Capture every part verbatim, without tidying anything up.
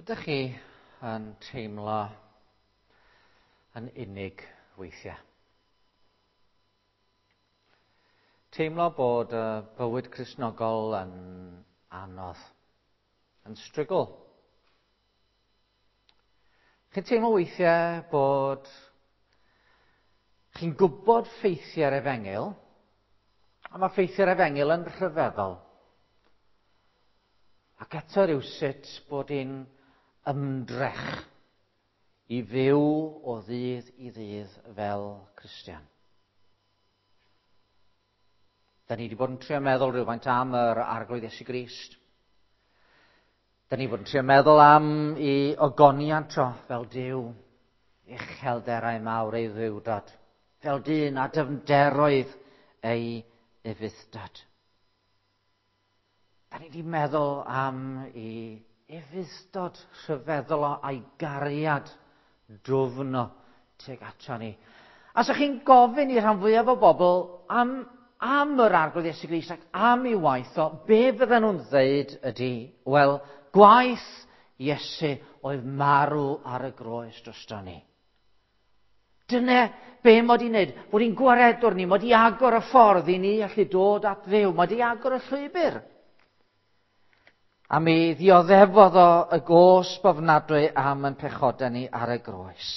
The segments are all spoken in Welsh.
Ydych chi yn teimlo yn unig weithiau? Teimlo bod y bywyd Cristnogol yn anodd, yn strygl. Chi'n teimlo weithiau bod chi'n gwybod ffeithiau'r efengyl, a mae ffeithiau'r efengyl yn rhyfeddol. Ac eto rywsut bod hi'n ymdrech i fyw o ddydd i ddydd fel Cristion. Da ni wedi bod yn trio meddwl rhywfaint am yr Arglwydd Iesu Grist. Da ni wedi bod yn trio meddwl am ei ogoniant o fel Duw, uchelderau mawr ei dduwdod, fel dyn a dyfnderoedd ei ufudd-dod. Da ni wedi meddwl am ei ufudd-dod rhyfeddol o a'i gariad dwfn o tuag ato ni. A sa chi'n gofyn i rhan fwyaf o bobl am, am yr Arglwydd Iesu Grist ac am ei waith o, be fydden nhw'n ddeud ydy, wel, gwaith Iesu oedd marw ar y groes drosto ni. Dyna be mod i'n neud, bod i'n gwaredwr ni, mod i agor y ffordd i ni allu dod at Dduw, mod i agor y llwybr. A mi ddioddefodd o y gosb ofnadwy am yn pechodau ni ar y groes.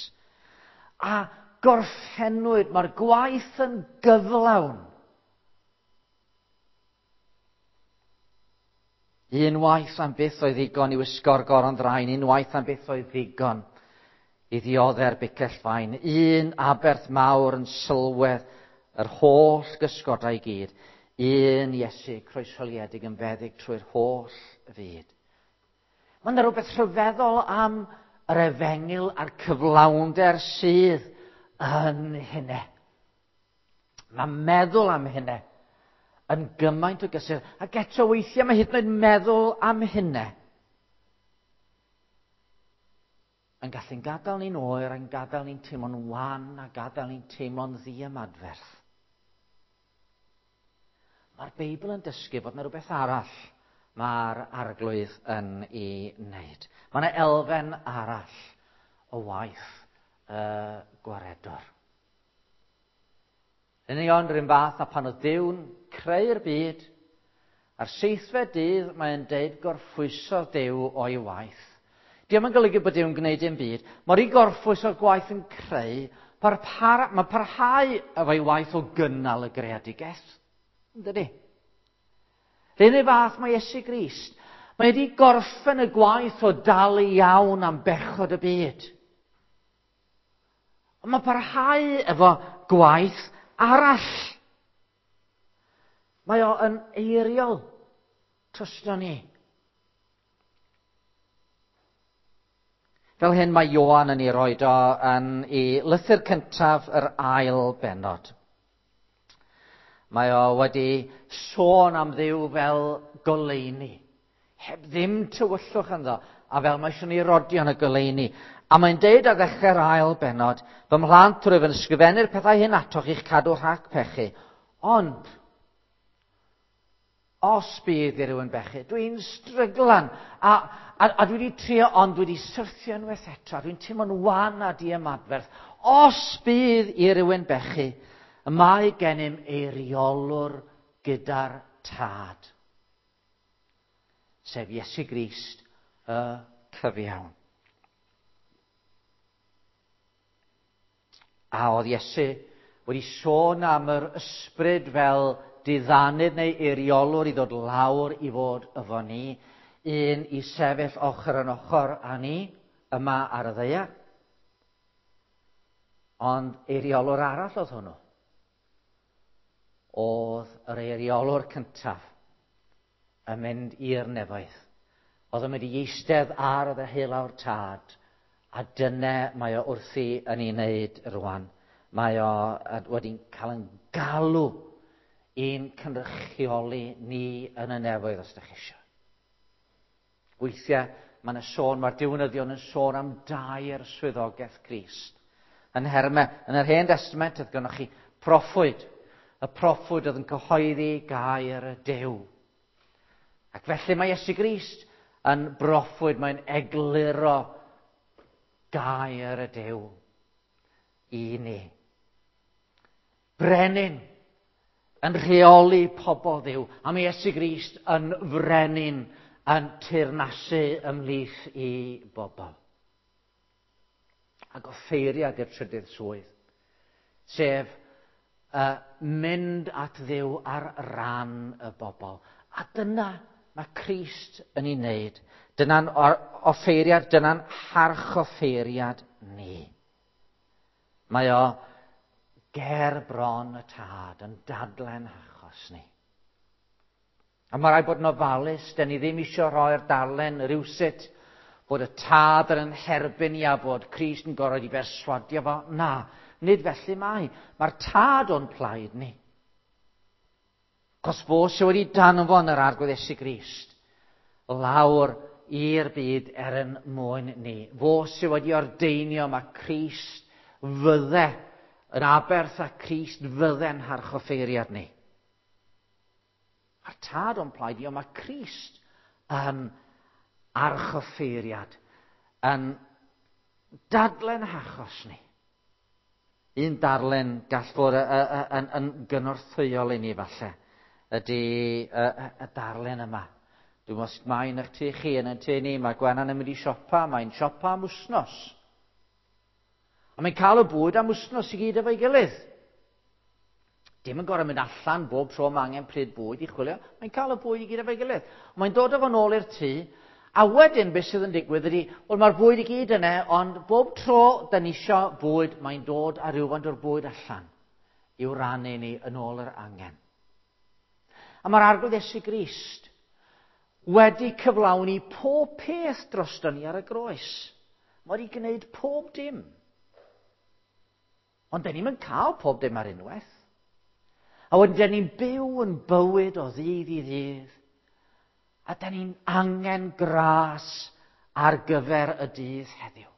A gorffennwyd, mae'r gwaith yn gyflawn. Un waith am byth oedd ddigon i wisgo'r goron ddrain, un waith am byth oedd ddigon i ddiodde'r bicell fain. Un aberth mawr yn sylwedd yr holl gysgodau i gyd. Un Iesu croeshoeliedig yn feddyg trwy'r holl fyd. Mae yna rhywbeth rhyfeddol am yr efengyl a'r cyflawnder sydd yn hynny. Mae meddwl am hynny yn gymaint o gysur. Ac eto weithiau mae hyd yn oed meddwl am hynny yn gallu'n gadael ni'n oer, yn gadael ni'n teimlo'n wan, a gadael ni'n teimlo'n ddiymadferth. Mae'r Beibl yn dysgu bod yna rhywbeth arall mae'r Arglwydd yn ei wneud. Mae yna elfen arall o waith y gwaredwr. Yn union rhywun fath a pan oedd Duw'n creu'r byd, a'r seithfed dydd mae'n deud gorffwysodd Duw o'i waith. Dio'm yn golygu bod Duw'n gwneud dim byd. Mae'r i gorffwys o'r gwaith yn creu, mae parhau efo'i waith o gynnal y greadigaeth. Yndydi? Yr un fath mae Iesu Grist. Mae wedi gorffen y gwaith o dalu iawn am bechod y byd. Ond mae parhau efo gwaith arall. Mae o yn eiriol drosto ni. Fel hyn mae Ioan yn ei roed o yn ei lythyr cyntaf yr ail bennod. Mae o wedi sôn am Dduw fel goleuni, heb ddim tywyllwch ynddo, a fel mae eisiau ni rodio yn y goleuni. A mae'n deud ar ddechrau'r ail bennod, fy mhlant, rwyf yn ysgrifennu'r pethau hyn atoch i'ch cadw rhag pechu. Ond, os bydd i rywun bechu, dwi'n stryglan, a, a, a dwi wedi trio, ond dwi wedi syrthio unwaith eto, a dwi'n teimlo'n wan a diymadferth. Os bydd i rywun bechu, y mae gennym eiriolwr gyda'r Tad, sef Iesu Grist y cyfiawn. A oedd Iesu wedi sôn am yr ysbryd fel diddanydd neu eiriolwr i ddod lawr i fod efo ni, un i sefyll ochr yn ochr â ni yma ar y ddaear. Ond eiriolwr arall oedd hwnnw. Oedd yr eiriolwr cyntaf yn mynd i'r nefoedd. Oedd yn mynd i eistedd ar y ddeheulaw'r Tad, a dyna mae o wrthi yn ei wneud rwan. Mae o wedi cael yn galw i'n cynrychioli ni yn y nefoedd os ydych chi eisiau. Weithiau mae yna sôn, mae'r diwinyddion yn sôn am dair swyddogaeth Crist. Yn herme, yn yr Hen Testament, oedd gennych chi proffwyd. Y proffwyd oedd yn cyhoeddi gair y Duw. Ac felly mae Iesu Grist yn broffwyd, mae'n egluro gair y Duw i ni. Brenin yn rheoli pobl Dduw, a mae Iesu Grist yn frenin yn teyrnasu ymhlith i bobl. Ac offeiriad i'r trydydd swydd, sef uh, mynd at Dduw ar ran y bobl. A dyna mae Crist yn ei wneud. Dyna'n offeiriad, dyna'n harchoffeiriad ni. Mae o ger bron y Tad yn dadlen achos ni. A mae rhaid bod yn ofalus, dyn ni ddim eisiau rhoi'r darllen rywsut bod y Tad yn herbyn ni a bod Crist yn gorfod i berswadio fo. Na, nid felly mae. Mae'r Tad o'n plaid ni. Cos fo sydd wedi danfon yr Arglwydd Iesu Grist lawr i'r byd er yn mwyn ni. Fo sydd wedi ordeinio mae Crist fydde yn aberth a Crist fydde'n harchoffeiriad ni. Mae'r Tad o'n plaid ni, ond mae Crist yn archoffeiriad, yn dadlen achos ni. Un darllen gall fod yn, yn gynorthwyol i ni falle, ydy y, y darllen yma. Dwi'n meddwl sut mae yn eich tŷ chi, yn ein tŷ ni, mae Gwenan yn mynd i siopa, mae'n siopa am wsnos. A mae'n cael y bwyd am wsnos i gyd efo'i gilydd. Dim yn gorfod mynd allan bob tro mae angen pryd bwyd i chwilio. Mae'n cael y bwyd i gyd efo'i gilydd. Mae'n dod efo nôl i'r tŷ, a wedyn beth sydd yn digwydd ydy, wel mae'r bwyd i gyd yna, ond bob tro da ni isio bwyd, mae'n dod â rhywfaint o'r bwyd allan i'w rannu ni yn ôl yr angen. A mae'r Arglwydd Iesu Grist wedi cyflawni pob peth drosto ni ar y groes. Mae wedi gwneud pob dim. Ond dyn ni'm yn cael pob dim ar unwaith. A wedyn dyn ni'n byw yn bywyd o ddydd i ddydd. A dyn ni'n angen gras ar gyfer y dydd heddiw.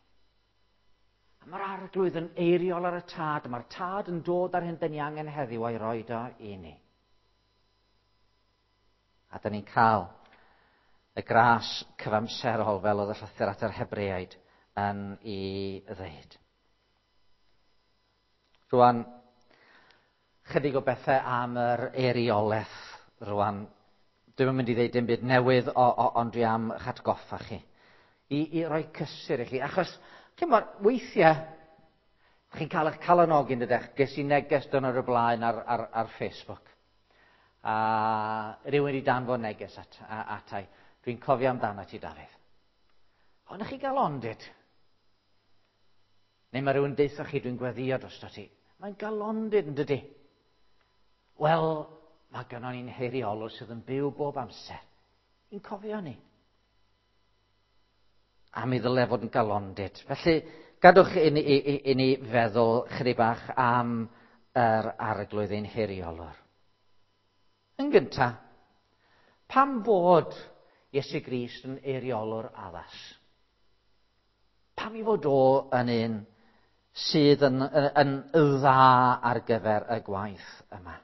A mae'r Arglwydd yn eiriol ar y Tad. Mae'r Tad yn dod ar hyn dyn ni angen heddiw a'i roed o i ni. A dyn ni'n cael y gras cyfamserol fel oedd y llythyr at yr Hebreaid yn ei ddeud. Rwan, chydig o bethau am yr eiriolaeth rwan. Dwi'm yn mynd i ddeud dim byd newydd, o, o, ond dwi am eich atgoffa chi. I, i roi cysur i chi. Achos, chi'mod, weithiau, chi'n cael eich calonogi yn dydych. Ges i neges dwrnod o'r blaen ar, ar, ar Facebook. A rhywun wedi danfon neges at, atai. Dwi'n cofio amdano ti, Dafydd. Ond chi galondid? Neu mae rhywun deutha chi, dwi'n gweddio drosto ti. Mae'n galondid yn dydy. Wel, mae gynnon ni'n heiriolwr sydd yn byw bob amser. I'n cofio ni. A mi ddyle fod yn galondid. Felly, gadwch i ni, i, i, i ni feddwl chydig bach am yr Arglwydd ein heiriolwr. Yn gyntaf, pam fod Iesu Grist yn eiriolwr addas? Pam i fod o yn un sydd yn, yn, yn dda ar gyfer y gwaith yma?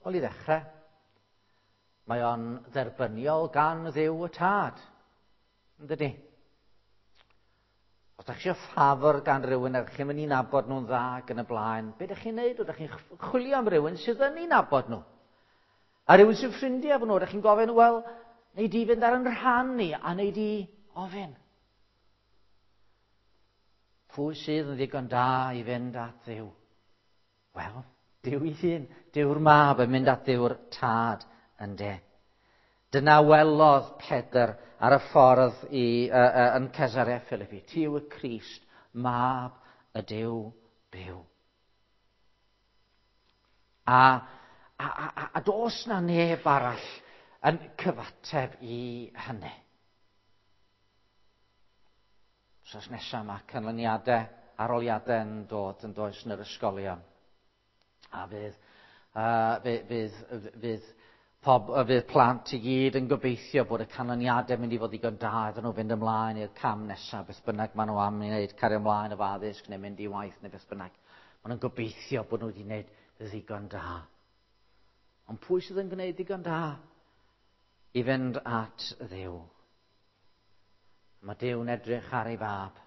Wel, i ddechrau, mae o'n dderbyniol gan Dduw y Tad, yn dydi? Os ydych chi eisiau ffafr gan rhywun a chi'n mynd i nabod nhw'n dda ac yn y blaen, be ydych chi'n neud? Ydych chi'n chwilio am rhywun sydd yn ei nabod nhw? A rhywun sy'n ffrindiau efo nhw, ydych chi'n gofyn, wel, neu di fynd ar yn rhan ni, a neu di ofyn. Pwy sydd yn ddigon da i fynd at Dduw? Wel, Duw ei hun, Duw'r Mab yn mynd at Dduw'r Tad yn de. Dyna welodd Pedr ar y ffordd i, uh, uh, yn Cesarea Philippi. Ti yw y Crist, Mab y Duw byw. A, a, a, a does na neb arall yn cyfateb i hynny. Wsos nesaf mae canlyniadau, aroliadau yn dod yn does yn yr ysgolion. A fydd, uh, fydd, fydd, fydd, pob, fydd plant i gyd yn gobeithio bod y canlyniadau mynd i fod ddigon da iddyn nhw fynd ymlaen i'r cam nesaf, beth bynnag maen nhw am i wneud, cario ymlaen efo addysg neu mynd i waith neu beth bynnag. Maen nhw'n gobeithio bod nhw wedi gwneud ddigon da. Ond pwy sydd yn gwneud ddigon da? i fynd at Dduw. Mae Duw'n edrych ar ei fab.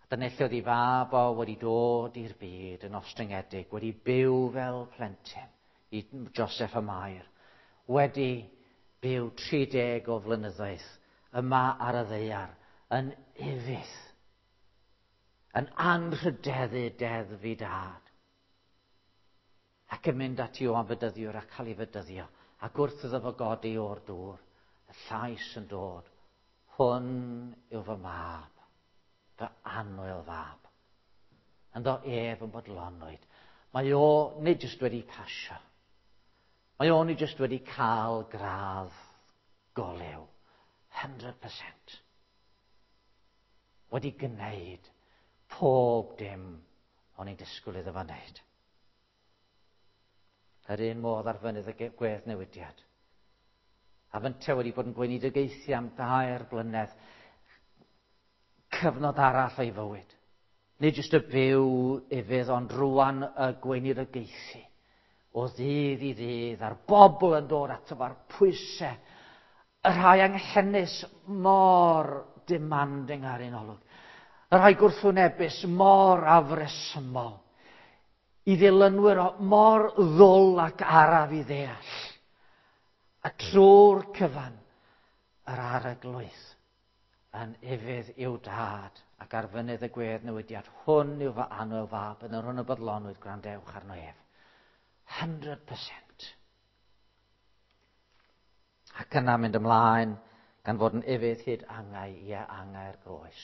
A dyna lle oedd ei fab o wedi dod i'r byd yn ostyngedig, wedi byw fel plentyn i Joseph a Mair, wedi byw tri deg o flynyddoedd yma ar y ddaear, yn ufudd, yn anrhydeddu deddf ei dad, ac yn mynd at Ioan Fedyddiwr a cael ei fedyddio, ac wrth iddo fo godi o'r dŵr, y llais yn dod, hwn yw fy mab, fy annwyl fab. Ynddo ef yn bodlonwyd. Mae o nid jyst wedi pasio. Mae o nid jyst wedi cael gradd golew. one hundred percent. Wedi gwneud pob dim o'n i'n disgwyl iddo fo wneud. Yr un modd ar fynydd y gweddnewidiad. A fynte wedi bod yn gweinidogaethu am dair blynedd, cyfnod arall o'i fywyd. Nid jyst y byw ufudd, ond rwan y gweinidogaethu. O ddydd i ddydd, a'r bobl yn dod ato fo'r pwysau, y rhai anghenus mor demanding ar un olwg. Y rhai gwrthwynebus mor afresymol. I ddilynwyr o mor ddwl ac araf i ddeall. A trwy'r cyfan, yr Arglwydd yn ufudd i'w dad ac ar fynydd y gweddnewidiad, hwn yw fy annwyl fab, yn yr hwn y bodlonwyd, gwrandewch arno ef. one hundred percent. Ac yna mynd ymlaen, gan fod yn ufudd hyd angau, ie, angau'r groes.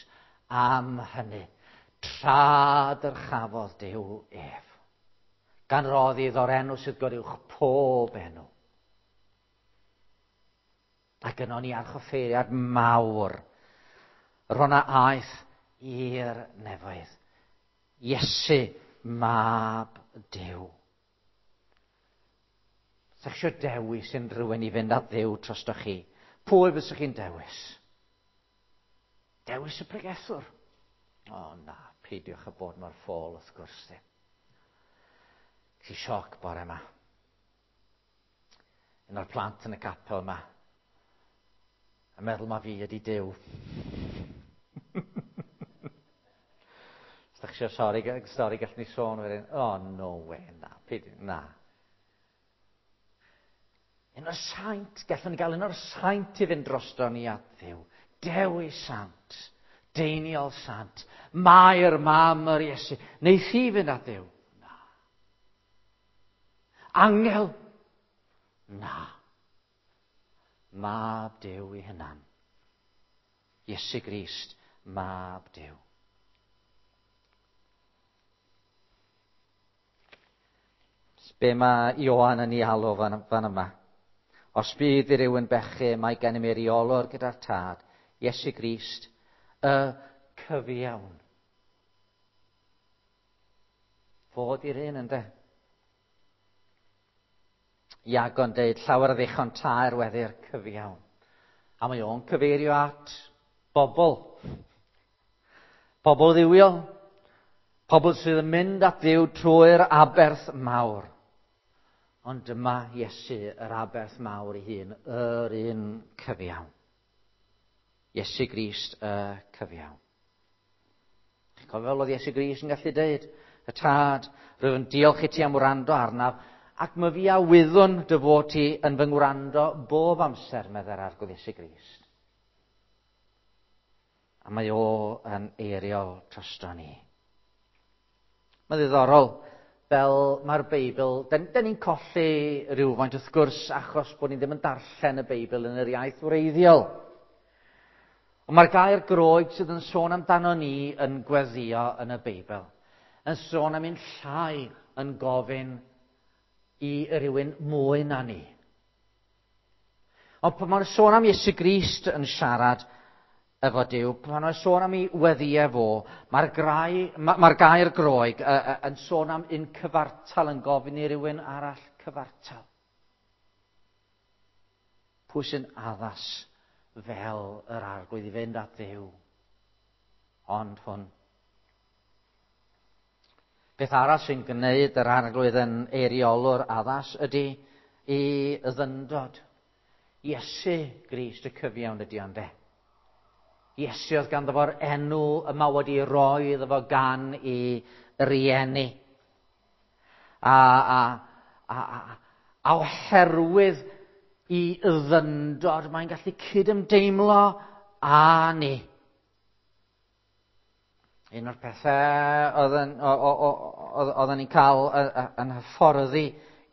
Am hynny, tra dyrchafodd Duw ef, gan roddi iddo'r enw sydd goruwch pob enw. Ac yno ni archoffeiriad mawr, yr hwn a aeth i'r nefoedd. Iesu, Mab Duw. Sa'ch eisiau dewis unrhyw un i fynd at Dduw drostoch chi? Pwy fysych chi'n dewis? Dewis y pregethwr? O na, peidiwch â bod mor ffôl, wrth gwrs ddim. Ci sioc bore yma. Un o'r plant yn y capel yma yn meddwl ma fi ydi Duw. Os da chi eisiau stori, stori gallwn ni sôn wedyn. Oh, no way, na, peidiwch, na. Un o'r saint, gallwn ni gael un o'r saint i fynd drosto ni at Dduw. Dewi Sant, Deiniol Sant, Mair, mam yr Iesu. Neith hi fynd at Dduw? Na. Angel? Na. Mab Duw ei hunan. Iesu Grist, Mab Duw. Be mae Ioan yn ei alw fan, fan yma? Os bydd i rywun bechu, mae gennym eiriolwr gyda'r Tad, Iesu Grist, y cyfiawn. Fod i'r un, ynde? Iago'n deud, llawer o ddichon taer weddi'r cyfiawn. A mae o'n cyfeirio at bobl. Pobl dduwiol. Pobl sydd yn mynd at Dduw trwy'r aberth mawr. Ond dyma Iesu, yr aberth mawr ei hun, yr un cyfiawn. Iesu Grist y cyfiawn. Chi'n cofio fel oedd Iesu Grist yn gallu deud, y Tad, rwyf yn diolch i ti am wrando arnaf, ac mae fi a wyddwn dy fod ti yn fy ngwrando bob amser, meddai'r Arglwydd Iesu Grist. A mae o yn eiriol drosto ni. Mae'n ddiddorol, fel mae'r Beibl, den, den ni'n colli rhywfaint wrth gwrs achos bod ni ddim yn darllen y Beibl yn yr iaith wreiddiol. Ond mae'r gair Groeg sydd yn sôn amdano ni yn gweddio yn y Beibl, yn sôn am un llai yn gofyn i rywun mwy na ni. Ond pan mae'n sôn am Iesu Grist yn siarad efo Duw, pan mae'n sôn am ei weddïau fo, mae'r, grai, ma, mae'r gair Groeg uh, uh, yn sôn am un cyfartal yn gofyn i rywun arall cyfartal. Pwy sy'n addas fel yr Arglwydd i fynd at Dduw? Ond hwn. Beth arall sy'n gwneud yr Arglwydd yn eiriolwr addas ydy ei ddyndod. Iesu Grist y cyfiawn ydi ond e. Iesu oedd ganddo fo'r enw yma wedi roi iddo fo gan i rieni. A, a, a, a, a oherwydd i ddyndod, mae'n gallu cydymdeimlo â ni. Un o'r pethau oedden ni'n cael yn hyfforddi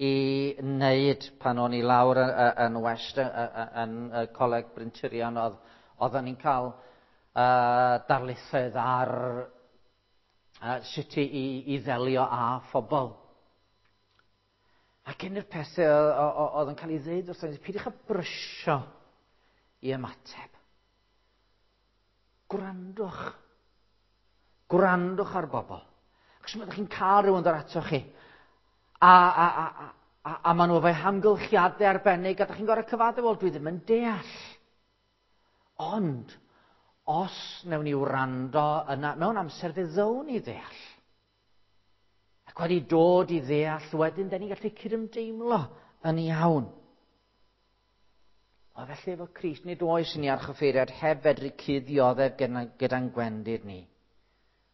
i wneud pan o'n i lawr yn West, yn Coleg Bryntirion, oedd, oedden ni'n cael uh, darlithoedd ar uh, sut i, i ddelio â phobl. Ac un o'r pethau oedd yn cael ei ddeud wrth ni, peidiwch â brysio i ymateb. Gwrandwch. Gwrandwch ar bobl. Achos ydych chi'n cael rhywun dod atoch chi, a, a, a, a, a maen nhw efo'u hamgylchiadau arbennig, a ydych chi'n gorfod cyfaddef, wel, dwi ddim yn deall. Ond, os wnawn ni wrando yna, mewn amser fe ddown ni ddeall. Ac wedi dod i ddeall wedyn, da ni'n gallu cydymdeimlo yn iawn. O felly efo Crist, nid oes i ni archoffeiriad heb fedru cyd-ddioddef gyda'n gwendid ni.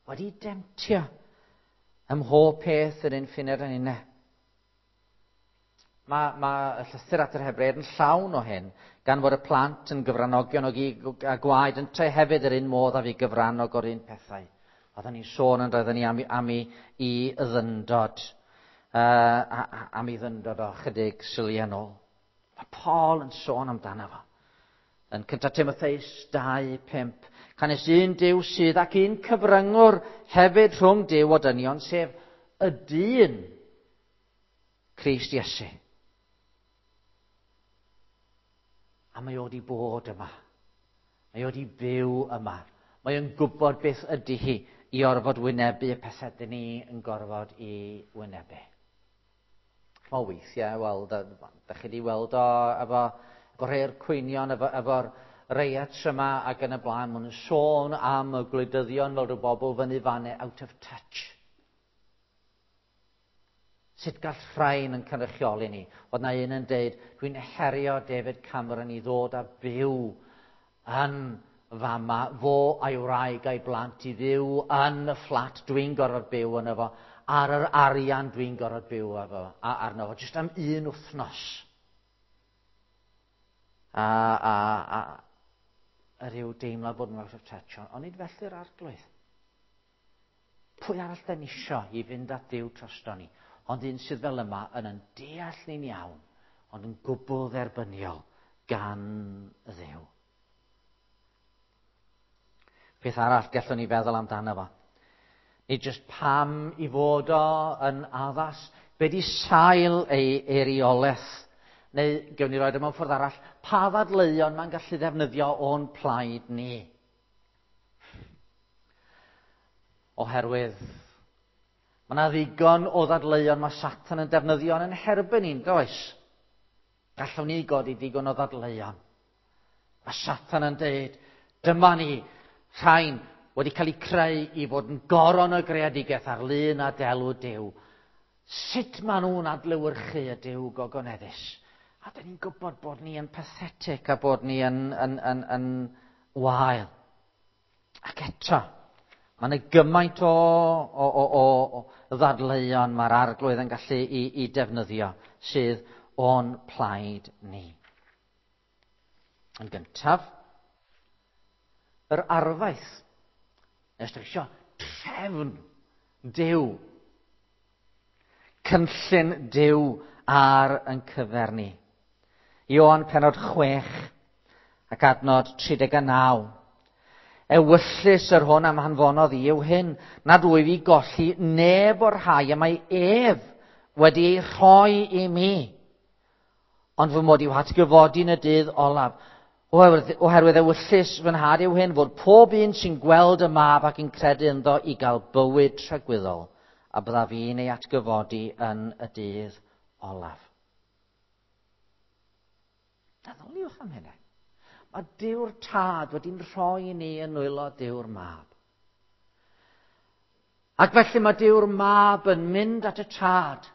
Wedi demtio ym mhob peth yr un ffined yn unne. Mae, mae y llythyr at yr Hebreaid yn llawn o hyn, gan fod y plant yn gyfranogion o gig a gwaed, yntau hefyd yr un modd a fi gyfrannog o'r un pethau. Oedden ni'n sôn yn roedden ni am, am i, i ddyndod, uh, am i ddyndod o chydig syliau nôl. Mae Paul yn sôn amdano fo. Yn cyntaf Timotheus dau pump, canys un Duw sydd ac un cyfryngwr hefyd rhwng Duw o dynion, sef y dyn Crist Iesu. A mae o wedi bod yma. Mae o wedi byw yma. Mae o'n gwybod beth ydy hi i orfod wynebu y pethau dyn ni yn gorfod i wynebu. O weithiau, wel, da, da chi wedi weld o efo, efo rhai'r cwynion, efo, efo'r riots yma ac yn y blaen. Maen nhw'n sôn am y gwleidyddion fel rhyw bobl fyny fanne out of touch. Sut gall rhain yn cynrychioli ni? Oedd na un yn deud, dwi'n herio David Cameron i ddod a byw yn fama, fo a'i wraig a'i blant i fyw yn y fflat dwi'n gorfod byw yn efo, ar yr arian dwi'n gorfod byw efo, arno fo, jyst am un wythnos. A, a, a, a rhyw deimlad bod yn out of touch, ond nid felly'r arglwydd. Pwy arall da ni isio i fynd at Dduw drosto ni? Ond un sydd fel yma yn yn deall ni'n iawn, ond yn gwbl dderbyniol gan Dduw. Peth arall gallwn ni feddwl amdano fo. Nid jyst pam i fod o yn addas, be di sail ei eiriolaeth, neu gewn ni roed o mewn ffordd arall, pa ddadleuon mae'n gallu ddefnyddio o'n plaid ni? Oherwydd mae yna ddigon o ddadleuon mae Satan yn defnyddio yn herbyn ni'n does? Gallwn ni godi digon o ddadleuon. Mae Satan yn deud, dyma ni, rhain wedi cael eu creu i fod yn goron o greadigaeth ar lun a delw Duw. Sut maen nhw'n adlewyrchu y Duw gogoneddus? A dyn ni'n gwybod bod ni yn pathetic a bod ni yn, yn, yn, yn wael. Ac eto, mae yna gymaint o, o, o, o, o ddadleuon mae'r arglwydd yn gallu i, i defnyddio sydd o'n plaid ni. Yn gyntaf, yr arfaeth. Nes ydych chi isio trefn Duw. Cynllun Duw ar yn cyfer ni. Ioan pennod chwech ac adnod tri deg a naw. Ewyllys yr hwn am hanfonodd i yw hyn, nad wyf i golli neb o'r rhai y mae ef wedi ei rhoi i mi, ond fy mod i'w hatgyfodi yn y dydd olaf. Oherwydd, oherwydd ewyllys fy nhad yw hyn, fod pob un sy'n gweld y mab ac yn credu ynddo i gael bywyd tragwyddol, a byddaf i'n ei atgyfodi yn y dydd olaf. Meddyliwch am hynny. Mae Duw'r Tad wedi'n rhoi ni yn nwylo Duw'r Mab. Ac felly mae Duw'r Mab yn mynd at y Tad.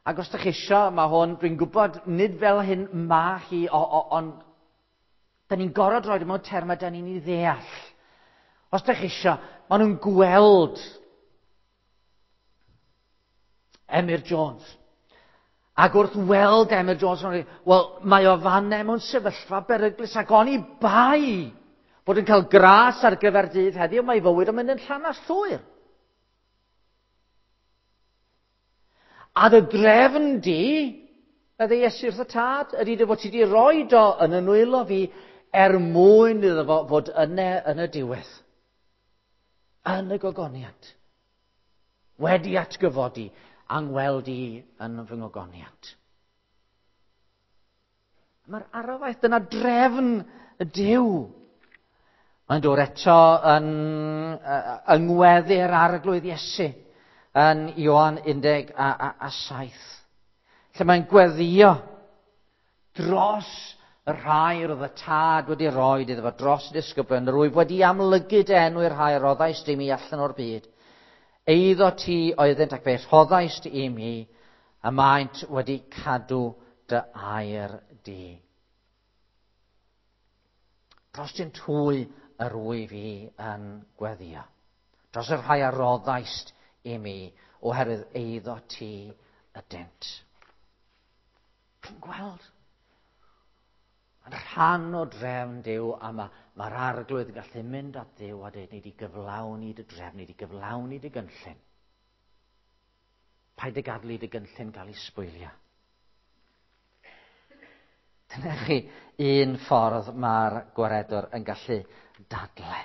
Ac os ydych chi isio, mae hwn, dwi'n gwybod, nid fel hyn ma hi, ond da ni'n gorfod rhoi mewn termau da ni'n ei ddeall. Os ydych chi isio, maen nhw'n gweld Emyr Jones. Ac wrth weld Emyr Jones, maen nhw'n wel, mae o fanne mewn sefyllfa beryglus ac oni bai bod yn cael gras ar gyfer dydd heddiw, mae fywyd yn mynd yn llanast llwyr. A dy drefn di, medde Iesu wrth y tad, ydy dy fod ti di roi do yn y nwylo fi er mwyn iddo fo fod yne yn y diwedd. Yn y gogoniant. Wedi atgyfodi angweld i yn fy ngogoniant. Mae'r arfaeth, dyna drefn y Duw. Mae'n dod eto yn yngweddi'r Arglwydd Iesu yn Ioan undeg a, a, a saith. Lle mae'n gweddio dros y rhai roedd y tad wedi rhoi iddo fo, dros y disgyblion, rwyf wedi amlygu dy enw i'r rhai roddaist i mi allan o'r byd. Eiddo ti oeddynt ac fe rhoddaist i mi, a maent wedi cadw dy air di. Dros dyn hwy yr wyf i yn gweddio. Dros y rhai a roddaist i mi, oherwydd eiddo ti ydynt. Chi'n gweld? Yn rhan o drefn Duw, a mae'r ma Arglwydd yn gallu mynd at Dduw a dweud, ni wedi gyflawni dy drefn, ni wedi gyflawni dy gynllun. Paid â gadael i dy gynllun gael ei sbwylio. Dyna chi un ffordd mae'r gwaredwr yn gallu dadle.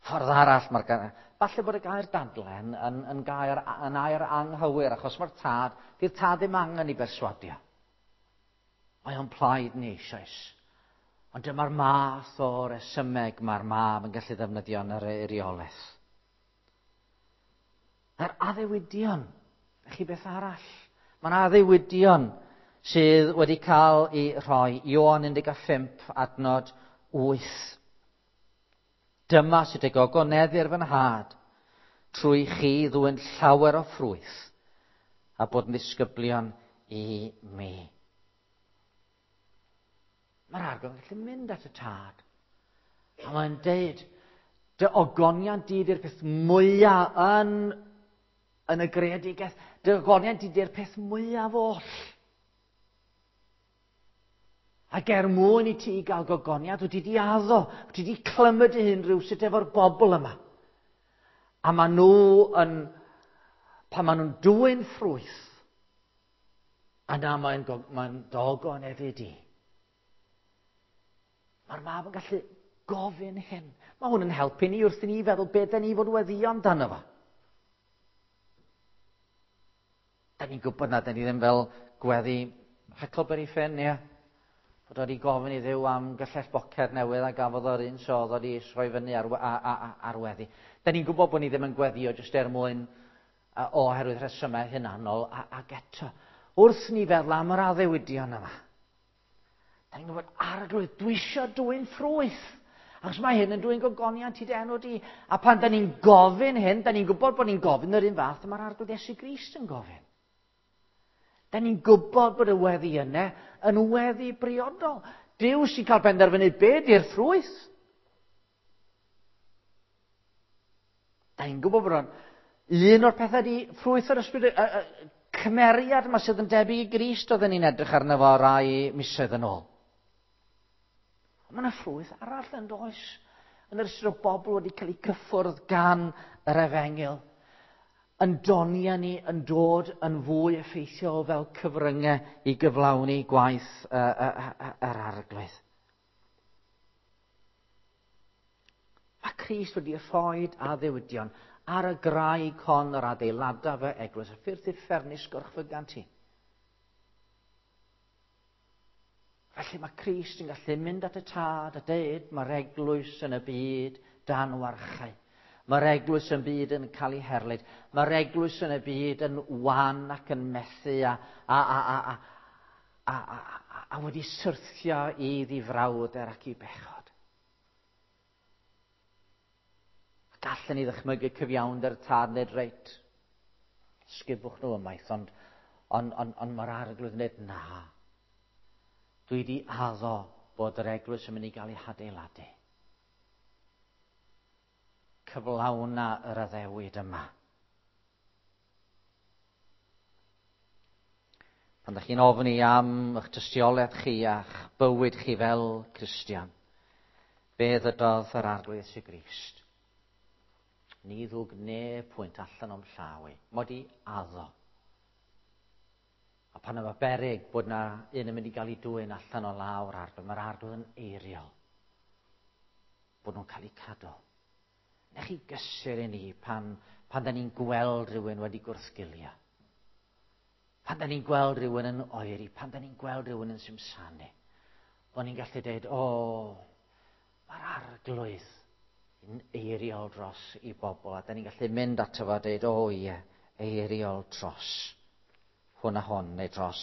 Ffordd arall mae'r gair... Falle bod y gair dadle yn, yn, yn, gair, yn air anghywir, achos mae'r tad, di'r tad ddim angen i berswadio. Mae o'n plaid ni eisoes. Ond dyma'r math o resymeg mae'r mab yn gallu ddefnyddio yn yr eiriolaeth. Yr addewidion, chi beth arall? Mae'n addewidion sydd wedi cael ei rhoi. Ioan un deg pump adnod wyth. Dyma sydd y gogoneddir fy nhad, trwy chi ddwyn llawer o ffrwyth, a bod yn ddisgyblion i mi. Mae'r Arglwydd yn gallu mynd at y tad. A mae'n deud, dy ogoniant di di'r peth mwyaf yn, yn y greadigaeth. Dy ogoniant di di'r peth mwyaf oll. Ac er mwyn i ti gael gogoniant, wyt ti di addo, wyt ti di clymu dy hun rhywsut efo'r bobl yma. A maen nhw yn, pan maen nhw'n dwyn ffrwyth, yna mae'n mae dogoneddu di. Mae'r mab yn gallu gofyn hyn. Mae hwn yn helpu ni wrth i ni feddwl beth da ni fod weddio amdano fo. Da ni'n gwybod na, da ni ddim fel gweddi Huckleberry Finn, ie. Bod wedi gofyn i Dduw am gyllell boced newydd a gafodd o'r un so oedd wedi rhoi fyny ar, ar, ar, ar weddi. Da ni'n gwybod bod ni ddim yn gweddio jyst er mwyn oherwydd rhesymau hunanol ac eto. Wrth ni feddwl am yr addewidion yma, da ni'n gwybod, Arglwydd, dwi eisiau dwyn ffrwyth. Achos mae hyn yn dwyn gogoniant i dy enw di. A pan da ni'n gofyn hyn, da ni'n gwybod bod ni'n gofyn yr un fath mae'r Arglwydd Iesu Grist yn gofyn. Da ni'n gwybod bod y weddi yna yn weddi briodol. Duw sy'n cael penderfynu be di'r ffrwyth. Da ni'n gwybod bod o'n un o'r pethau di ffrwyth yr ysbryd, y, y, cymeriad yma sydd yn debyg i Grist oedden ni'n edrych arno fo rai misoedd yn ôl. Mae yna ffrwyth arall yn does, yn yr ystyr o bobl wedi cael eu cyffwrdd gan yr efengyl. Yn donia ni yn dod yn fwy effeithiol fel cyfryngau i gyflawni gwaith uh, uh, uh, yr Arglwydd. Mae Crist wedi rhoi addewidion ar y graig hon yr adeilada fy eglwys, a ffyrdd uffernus gorchfygant ti. Felly mae Crist yn gallu mynd at y tad a deud mae'r eglwys yn y byd dan warchau. Mae'r eglwys yn byd yn cael ei herlid. Mae'r eglwys yn y byd yn wan ac yn methu a, a, a, a, a, a, a, a wedi syrthio i ddifrawder ac i bechod. Gallen ni ddychmygu cyfiawnder tad nid reit. Sgubwch nhw ymaith, ond, ond, ond, ond mae'r Arglwydd yn dweud, na. Dwi wedi addo bod yr eglwys yn mynd i gael ei hadeiladu. Cyflawna yr addewid yma. Pan ydych chi'n ofni am eich tystiolaeth chi a'ch bywyd chi fel Cristion, be ddydodd yr Arglwydd Iesu Grist? Ni ddwg neb pwynt allan o'm llaw i. Mod i addo. A pan yma beryg bod na un yn mynd i gael ei dwyn allan o lawr Arglwydd, mae'r Arglwydd yn eiriol. Bod nhw'n cael eu cadw. Nech chi gysur i ni pan, pan da ni'n gweld rhywun wedi gwrthgilio. Pan da ni'n gweld rhywun yn oeri, pan da ni'n gweld rhywun yn simsanu. Bod ni'n gallu dweud, o, mae'r Arglwydd yn eiriol dros i bobl. A da ni'n gallu mynd ato fo a dweud, o ie, eiriol dros hwn a hon, neu dros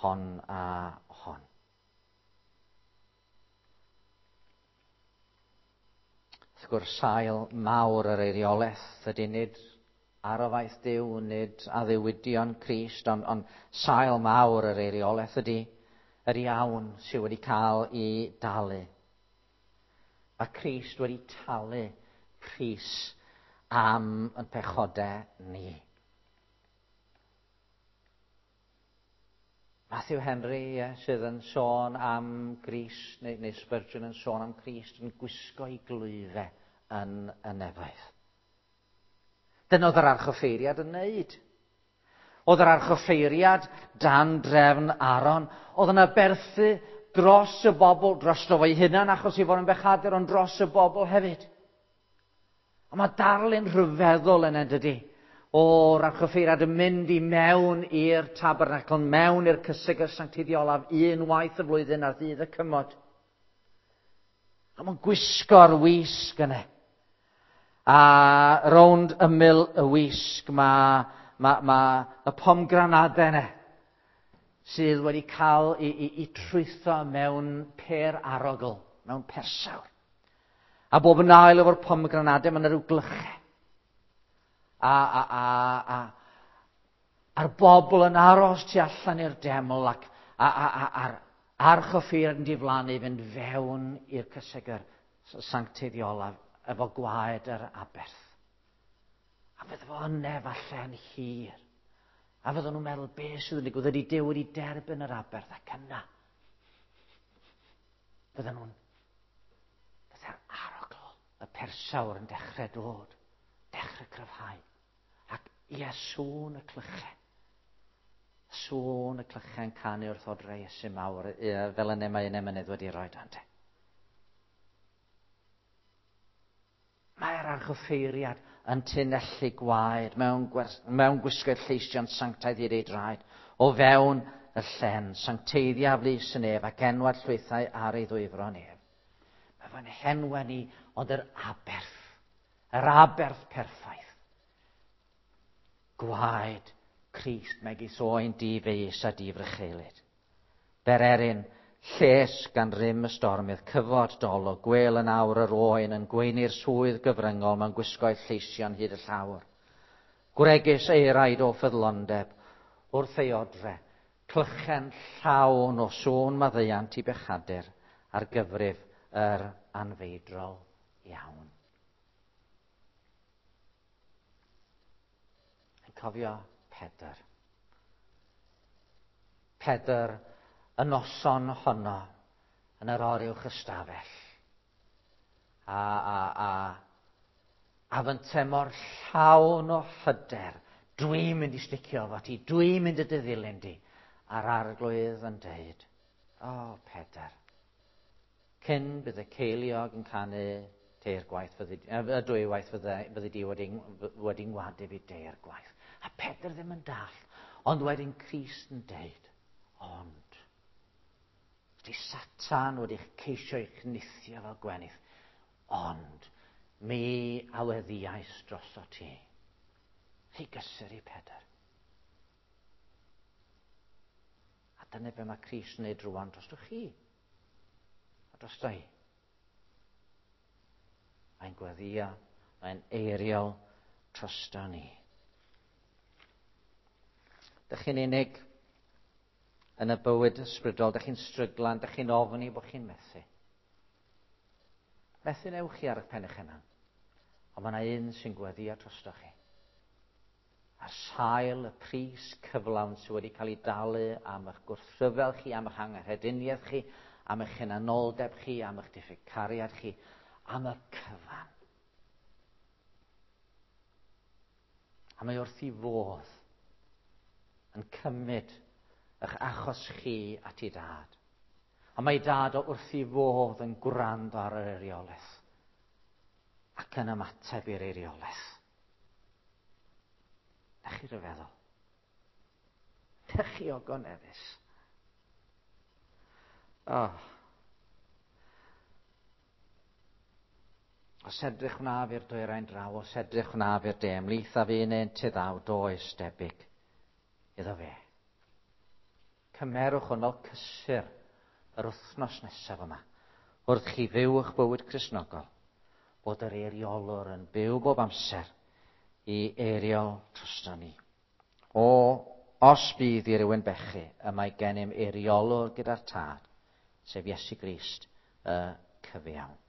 hon a hon. Wrth gwrs, sail mawr yr eiriolaeth ydy nid arofaeth Duw, nid addewidion Crist, ond, ond sail mawr yr eiriolaeth ydy yr iawn sydd wedi cael ei dalu. Mae Crist wedi talu pris am yn pechodau ni. Matthew Henry, ie, sydd yn sôn am Grist, neu, neu Spurgeon yn sôn am Crist, yn gwisgo ei glwyfau yn y nefoedd. Dyna oedd yr archoffeiriad yn wneud. Oedd yr archoffeiriad dan drefn Aaron, oedd yn aberthu dros y bobl, drosto fo'i hunan achos ei fod yn bechadur, ond dros y bobl hefyd. A mae darlun rhyfeddol yn dydy, o'r archoffeiriad yn mynd i mewn i'r tabernacl, mewn i'r cysegr sancteiddiolaf unwaith y flwyddyn ar ddydd y cymod. A mae'n gwisgo'r wisg yna. A rownd ymyl y wisg mae ma, ma y pomgranadau yna, sydd wedi cael ei, ei, ei trwytho mewn per arogl, mewn persawr. A bob yn ail efo'r pomgranadau, mae yna rhyw glychau. A, a, a, a, a'r bobl yn aros tu allan i'r deml ac a, a, a, a'r archoffeiriad yn diflannu fynd fewn i'r cysegr sancteiddiolaf efo gwaed yr aberth. A fydde fo yna falle'n hir. A fydden nhw'n meddwl, beth sydd yn digwydd? Ydy Duw wedi derbyn yr aberth ac yna. Fydden nhw'n, fydde'r arogl, y persawr yn dechrau dod, dechrau cryfhau. Ac ie, sŵn y clychau. Sŵn y clychau'n canu wrth odre Iesu mawr, ie, fel yna mae un emynydd wedi rhoi dante. Mae'r archoffeiriad yn tunellu gwaed mewn, gwers, mewn gwisgoedd lleision sanctaidd hyd ei draed, o fewn y llen, sancteiddia flys yn ef ac enwad llwythau ar ei ddwyfron ef. Mae fo'n henwen i, ond yr aberth, yr aberth perffaith. Gwaed Crist megis oen difeus a difrycheulyd. Bererin, lles gan rym y stormydd, cyfod dolo, gwel yn awr yr oen yn gweini'r swydd gyfryngol mewn gwisgoedd lleision hyd y llawr. Gwregys eiraid o ffyddlondeb, wrth ei odre, clychen llawn o sŵn maddeuant i bechadur ar gyfrif yr anfeidrol iawn. Yn cofio Pedr. Pedr y noson honno yn yr oruwch ystafell. A, a, a, a fynte mor llawn o hyder. Dwi'n mynd i sticio efo ti, dwi'n mynd i dy ddilyn di. A'r Arglwydd yn deud, o oh, Pedr, cyn bydd y ceiliog yn canu teir gwaith, fyddi, y dwy waith fyddi, fyddi di wedi, wedi ngwadu fi deir gwaith. A Pedr ddim yn dall, ond wedyn Crist yn deud, ond, ydy Satan wedi ceisio eich nithio fel gwenith, ond mi a weddiais droso ti. Chi gysur i Pedr. A dyna be mae Crist yn neud rwan drosto chi. A drosto i. Mae'n gweddio, mae'n eiriol drosto ni. Dych chi'n unig yn y bywyd ysbrydol, dych chi'n stryglan, dych chi'n ofni bod chi'n methu. Methu newch chi ar eich pen eich hunan. Ond mae yna un sy'n gweddio drostoch chi. Ar sail y pris cyflawn sydd wedi cael ei dalu am eich gwrthryfel chi, am eich anghrediniaeth chi, am eich hunanoldeb chi, am eich diffyg cariad chi, am y cyfan. A mae wrth ei fodd yn cymryd eich achos chi at ei dad. A mae dad o wrth ei fodd yn gwrando ar yr eiriolaeth ac yn ymateb i'r eiriolaeth. Na chi ryfeddol. Na chi ogoneddus. Oh. Os edrych wnaf i'r dwyrain draw, os edrych wnaf i'r de, ymhlith a fi neu'n tiddaw, does debyg iddo fe. Cymerwch hwn fel cysur yr wythnos nesaf yma, wrth chi fyw eich bywyd Cristnogol, bod yr eiriolwr yn byw bob amser i eiriol drosto ni. O, os bydd i rywun bechu, y mae gennym eiriolwr gyda'r Tad, sef Iesu Grist, y cyfiawn.